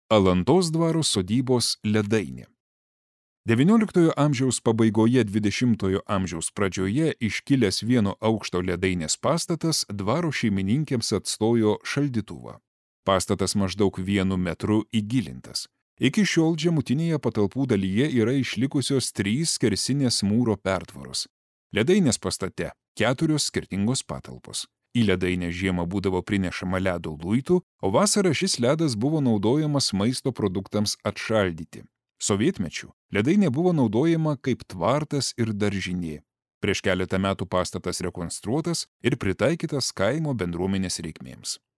Alantos dvaro sodybos ledainė. XIX amžiaus pabaigoje 20 amžiaus pradžioje iškilęs vieno aukšto ledainės pastatas dvaro šeimininkėms atstojo šaldytuvą. Pastatas maždaug 1 metru įgilintas. Iki šiol žemutinėje patalpų dalyje yra išlikusios 3 skersinės mūro pertvaros. Ledainės pastate 4 skirtingos patalpos. Į ledainę žiemą būdavo prinešama ledo luitų, o vasarą šis ledas buvo naudojamas maisto produktams atšaldyti. Sovietmečiu ledainė buvo naudojama kaip tvartas ir daržinė. Prieš keletą metų pastatas rekonstruotas ir pritaikytas kaimo bendruomenės reikmėms.